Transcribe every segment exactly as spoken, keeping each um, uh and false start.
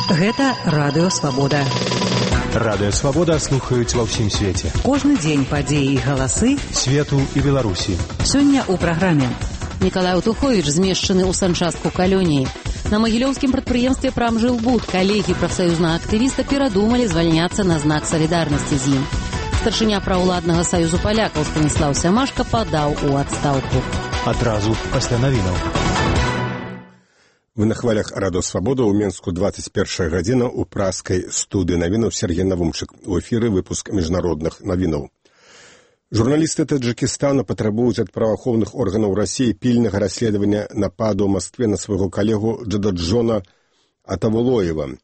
Гэта Радыё Свабода. Радыё Свабода слухаюць ва ўсім свеце. Кожны дзень падзеі і галасы свету і Беларусі. Сёння ў праграме. Мікалай Утуховіч змешчаны ў санчастку калоніі. На магілёўскім прадпрыемстве «Прамжылбуд» калегі прафсаюзнага актывіста перадумалі звальняцца на знак салідарнасці з ім. Старшыня праўладнага саюзу палякаў Станіслаў Сямашка падаў у адстаўку. Адразу пасля навінаў. Вы на хвалях Радыё Свабода ў Менску двадцать першая гадзіна ў праскай студыі навінаў Сергей Навумчык. У эфіры выпуск міжнародных навінаў. Журналісты Таджикистана патрабуюць ад праваахоўных органаў Расіі пільнага расследавання нападу ў Маскве на свайго калегу Джададжона Атавулоева.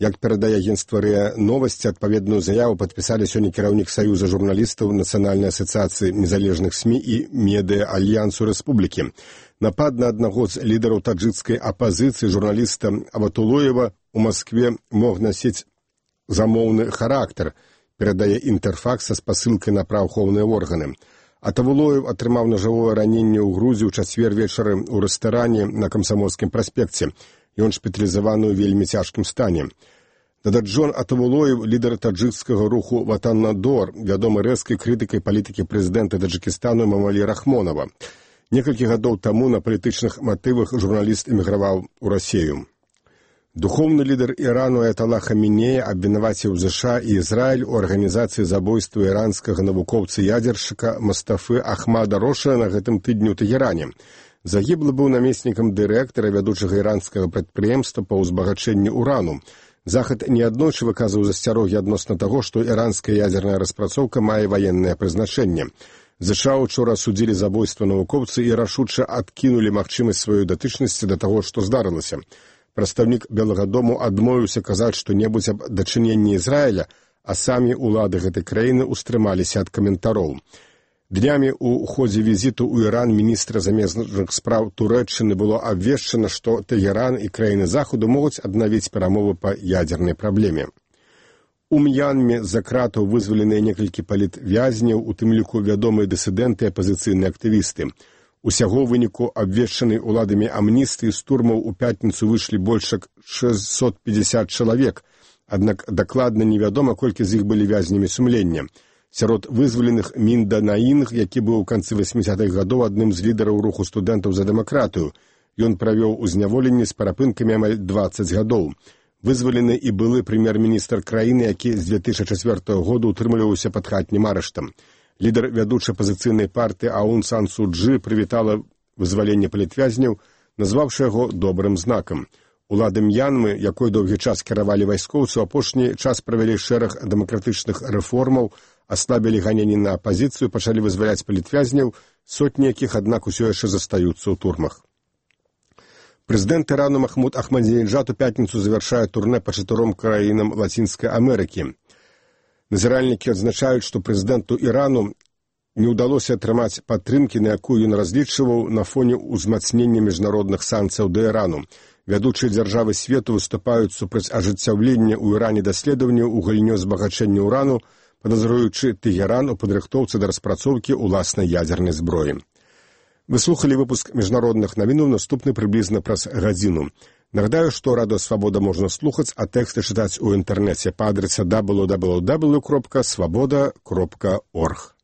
Як перадае агенцтва РИА Новасці, адпаведную заяву падпісалі сёння кіраўнік Саюза журналістаў Нацыянальнай асацыяцыі незалежных СМІ і медыа Альянсу Рэспублікі. Напад на аднаго з лідараў таджикскай апазіцыі журналіста Аватулоева ў Маскве мог насіць замоўны характар, перадае Інтэрфакс са спасылкай на праваахоўныя органы. Атавулоев атрымаў нажавое раненне ў грудзі ў чацвер вечары ў рэстаране на Камсамольскім праспекце. Ён шпіталізаваны ў вельмі цяжкім стане. Дададжон Атавулоев, лідар таджикскага руху Ватан-Надор, вядомы рэзкай крытыкай палітыкі прэзідэнта Таджикістану Эмамалі Рахмонава. Некалькі гадоў таму на палітычных матывах журналіст эміграваў у Расію. Духоўны лідар Ірану Аяталла Хамінея абвінаваціў ЗША і Ізраіль у арганізацыі забойства іранскага навукоўца-ядзершчыка Мастафы Ахмада Роша на гэтым тыдню ў Тэгеране. Загіблы быў намеснікам дырэктара вядучага іранскага прадпрыемства па ўзбагачэнні урану. Захад неаднойчы выказваў засцярогі адносна таго, што іранская ядзерная распрацоўка мае ваеннае прызначэнне. ЗША учора асудзілі забойства навукоўцы і рашуча адкінулі магчымасць сваёй датычнасці да таго, што здарылася. Прадстаўнік Белага дому адмовіўся казаць што-небудзь аб дачыненні Ізраіля, а самі ўлады гэтай краіны ўстрымаліся ад каментароў. Днямі ў ходзе візіту ў Іран міністра замежных спраў Турэччыны было абвешчана, што Тэгеран і краіны Захаду могуць аднавіць перамовы па ядзернай праблеме. У М'янме з-за кратаў вызваленыя некалькі палітвязняў, у тым ліку вядомыя дысідэнты і апазіцыйныя актывісты. Усяго ў выніку абвешчанай уладамі амністыі з турмаў у пятніцу выйшлі больш як шэсцьсот пятьдесят чалавек, аднак дакладна невядома, колькі з іх былі вязнямі сумлення. Сярод вызваленых Мінда Наінг, які быў у канцы васьмідзясятых гадоў адным з лідараў руху студэнтаў за дэмакратыю. Ён правёў у зняволенні з парапынкамі амаль дваццаць гадоў. Вызвалены і былы прэм'ер-міністр краіны, які з две тысячы чацвёртага года ўтрымліваўся пад хатнім арыштам. Лідар вядучай апазіцыйнай партыі Аун Сан Су Чжы прывітала вызваленне палітвязняў, назваўшы яго добрым знакам. Улады М'янмы, якой доўгі час кіравалі вайскоўцы, у апошні час правялі шэраг дэмакратычных рэформаў, аслабілі ганенні на апазіцыю, пачалі вызваляць палітвязняў, сотні якіх, аднак, усё яшчэ застаюцца ў турмах. Прэзідэнт Ірану Махмуд Ахмадзінеджад у пятніцу завяршае турнэ па чатыром краінам Лацінскай Амерыкі. Назіральнікі адзначаюць, што прэзідэнту Ірану не ўдалося атрымаць падтрымкі, на якую ён разлічваў на фоне ўзмацнення міжнародных санкцыяў да Ірану. Вядучыя дзяржавы свету выступаюць супраць ажыццяўлення ў Іране даследаванняў у галіне збагачэння ўрану, падазруючы Тэгеран у падрыхтоўцы да распрацоўкі ўласнай ядзернай зброі. Вы слухалі выпуск міжнародных навінаў, наступны прыблізна праз гадзіну. Нагадаю, што Радыё Свабода можна слухаць, а тэксты чытаць у інтэрнэце па адрасе дабл ю дабл ю дабл ю кропка свабода кропка орг.